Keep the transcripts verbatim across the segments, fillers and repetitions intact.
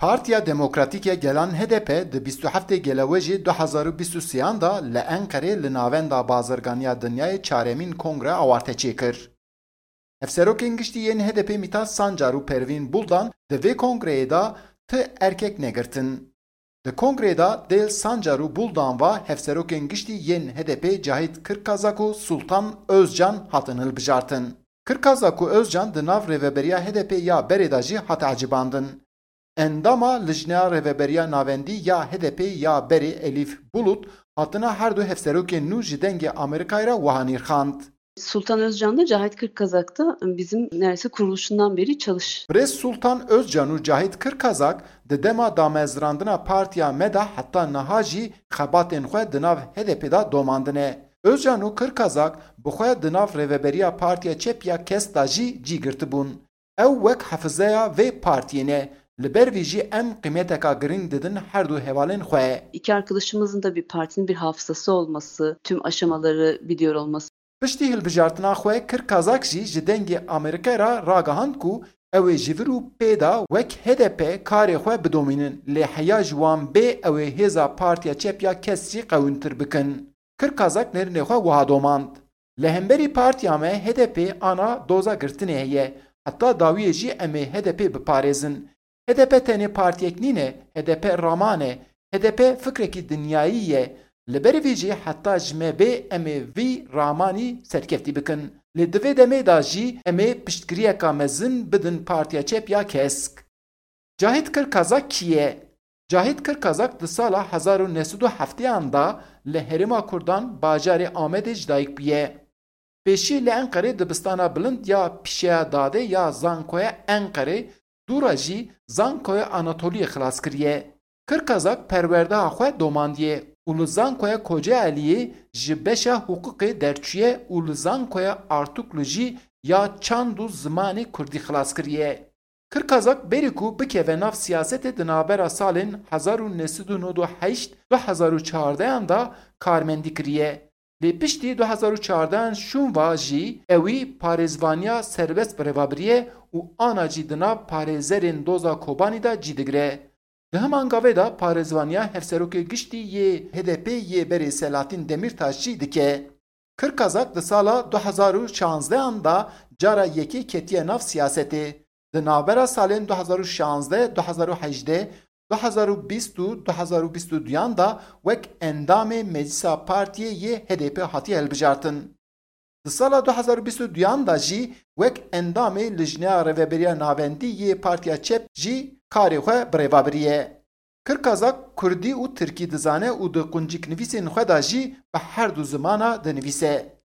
Partiya Demokratîk ya Gelan H D P di bîst û heftê Gelewejê du hezar û bîst û sêyan de li Enqerê li Navenda Bazirganiya Dinyayê çaremîn kongre awarte çêkir. Hevserokên giştî yên H D P Mîtat Sancar û Pervîn Buldan di vê kongreyê de ti erkek negirtin. Di kongreyê de Dêl Sancar û Buldan ve hevserokên giştî yên H D P Cahit Kirkazak û Sultan Özcan hatin hilbijartin. Kirkazak û Özcan di nav rêveberiya H D P ya berê de jî hate ecibandin. Endama Lijneya Rêveberiya Navendî ya H D P ya berê Elîf Bulut hatina her du hevserokên nû ji Dengê Amerîkayê re wiha nirxand. Sultan Özcan da Cahit Kırkazak da bizim neredeyse kuruluşundan beri çalış. Birêz Sultan Özcan û Cahit Kirkazak di dema damezrandina partiya me de heta niha jî xebatên xwe di nav H D P de domandine. Özcan û Kirkazak bi xwe di nav rêveberiya Partiya Çep ya KES de jî cî girtibûn. Ew wek hefizeya vê partiyê ne. Li ber vî jî em qîmeteka girîng didin her du hevalên xwe. İki arkadaşımızın da bir partinin bir hafızası olması, tüm aşamaları biliyor olması. Piştî hilbijartina xwe Kirkazak jî ji Dengê Amerîkayê re ragihand ku ew ê ji vir û pê de wek H D P karê xwe bidomînin, lê heya ji wan bê ew ê hêza Partiya Çep ya KES jî qewîntir bikin. Kirkazak nêrînê xwe wiha domand. Li hemberî partiya me H D P ana doza girtinê heye. Heta dawiyê jî em ê H D P biparêzin. H D P tenê partiyek nîne, H D P raman e. H D P fikrekî dinyayî ye. Li ber vî jî heta ji me bê em ê vî ramanî serkeftî bikin. Lê di vê demê de jî em ê piştgiriyeka mezin bidin Partiya Çep ya KESK. Cahit Kirkazak kî ye? Cahit Kirkazak di sala hezar û neh sed û hefteyan de li herêma Kurdan bajarê Amedê ji dayik bûye. Pêşî li Enqerê dibistana bilind ya Pîşeya Dadê ya Zankoya Enqerê, dû re jî Zankoya Anatoliyê xilas kiriye. Kirkazak perwerdeha xwe domandiye û li Zankoya Kocaeliyê ji beşa hiqûqê derçûye û li Zankoya Artuklu jî ya çand û zimanê kurdî xilas kiriye. Kirkazak berî ku bikeve nav siyasetê di navbera salên hezar û neh sed û nod û heşt du hezar û çardeyan de karmendî kiriye. Lê piştî du hezar û çardeyan şûn ve jî ewî parêzvaniya serbest bi rêva biriye û ana jî di nav parêzerên doza Kobanî de cî digire. Di heman gavê de parêzvaniya hevserokê giştî yê H D P yê berê Selahattin Demirtaş jî dike. Kirkazak di sala du hezar û şanzdehan de cara yekê ketiye nav siyasetê. Di navbera salên du hezar û şanzdeh, du hezar û hejdeh, du hezar û bîst û du hezar û bîst û duyan de wek endamê Meclisa Partiyê yê H D P hatiye hilbijartin. Di sala du hezar û bîst û duyan de jî wek endamê Lijneya Rêveberiya Navendî yê Partiya Çep jî karê xwe bi rêva biriye. Kirkazak kurdî û tirkî dizane û di qunciknivîsên xwe de jî bi her du zimana dinivîse.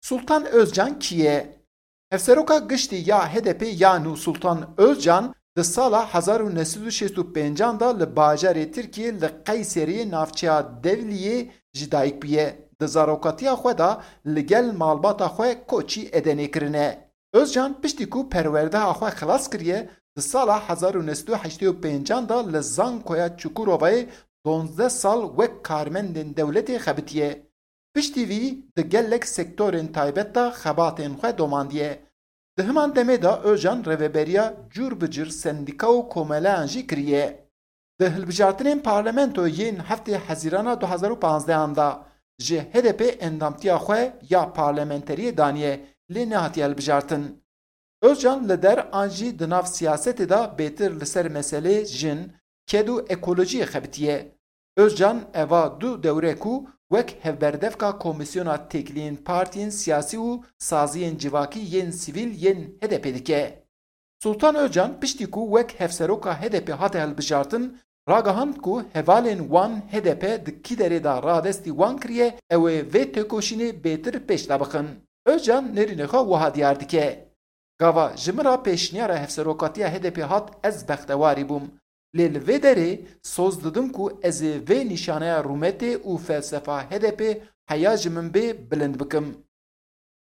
Sultan Özcan kî ye? Hevseroka giştî ya H D P ya nû Sultan Özcan di sala hezar û neh sed û şêst û pêncan de li bajarê Tirkiyê li Qeyseriyê navçeya Devliyê ji dayik bûye. Di zarokatiya xwe de li gel malbata xwe koçî Edenê kirine. Özcan piştî ku perwerdeha xwe xilas kiriye, di sala hezar û neh sed û heştê û pêncan de li Zankoya Çukurovayê donzdeh sal wek karmendên dewletê xebitiye. Piştî vî di gelek sektorên taybet de xebatên xwe domandiye. Di heman demê de Özcan rêveberiya cûr bi cûr sendîka û komeleyan jî kiriye. Di hilbijartinên parlamentoyê yên heftê Hezîrana du hezar û panzdeh an de ji H D P endamtiya xwe ya parlamenteriyê daniye, lê nehatiye hilbijartin. Özcan li der an jî di nav siyasetê de bêtir li ser meselê jin, ked û ekolojiyê xebitiye. Özcan eva du dewre ku wek hevberdevka Komîsyona Têkiliyên Partiyên Siyasî û Saziyên Civakî yên Sivîl yên H D P dike. Sultan Özcan piştî ku wek hevseroka H D P hate hilbijartin, ragihand ku hevalên wan H D P di kî derê de radestî wan kiriye, ew ê vê têkoşînê bêtir pêş de bixin. Özcan nêrînê xwe wiha diyar dike. Gava ji min re pêşniyara hevserokatiya H D P hat, ez bextewarî bûm. Lê li vê derê soz didim ku ez ê vê nîşaneya rûmetê û felsefa H D P heya ji min bê bilind bikim.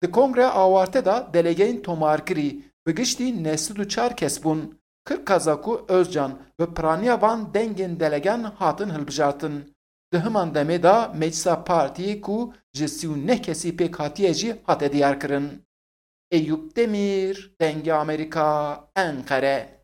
Di kongreya awarte de delegeyên tomarkirî bi giştî neh sed û çar kes bûn. Kirkazak û Özcan bi piraniya van dengên delegan hatin hilbijartin. Di heman demê de meclisa partiyê ku ji sî û neh kesî pêk hatiye jî hate diyarkirin. Eyûp Demîr, Dengê Amerîka, Enqere.